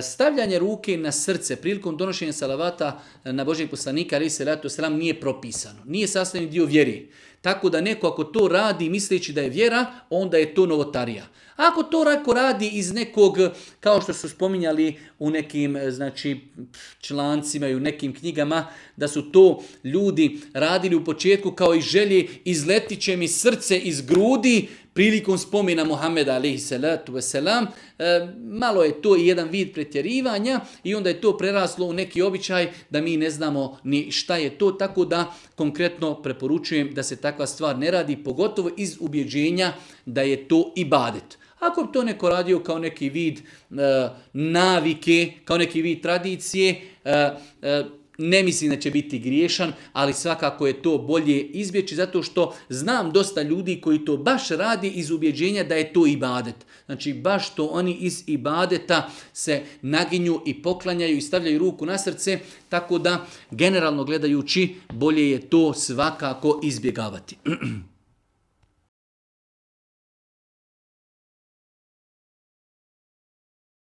Stavljanje ruke na srce prilikom donošenja salavata na Božijeg poslanika alejhi selatu vesselam nije propisano. Nije sastavni dio vjere. Tako da neko ako to radi misleći da je vjera, onda je to novotarija. Ako to neko radi iz nekog, kao što su spominjali u nekim člancima i u nekim knjigama, da su to ljudi radili u početku kao i želje, izletit će mi srce iz grudi prilikom spomena Muhameda alejhi salatu vesselam, malo je to i jedan vid pretjerivanja i onda je to preraslo u neki običaj da mi ne znamo ni šta je to, tako da konkretno preporučujem da se takva stvar ne radi, pogotovo iz ubjeđenja da je to ibadet. Ako bi to neko radio kao neki vid navike, kao neki vid tradicije, ne mislim da će biti griješan, ali svakako je to bolje izbjeći zato što znam dosta ljudi koji to baš radi iz ubjeđenja da je to ibadet. Znači baš to oni iz ibadeta se naginju i poklanjaju i stavljaju ruku na srce, tako da generalno gledajući bolje je to svakako izbjegavati.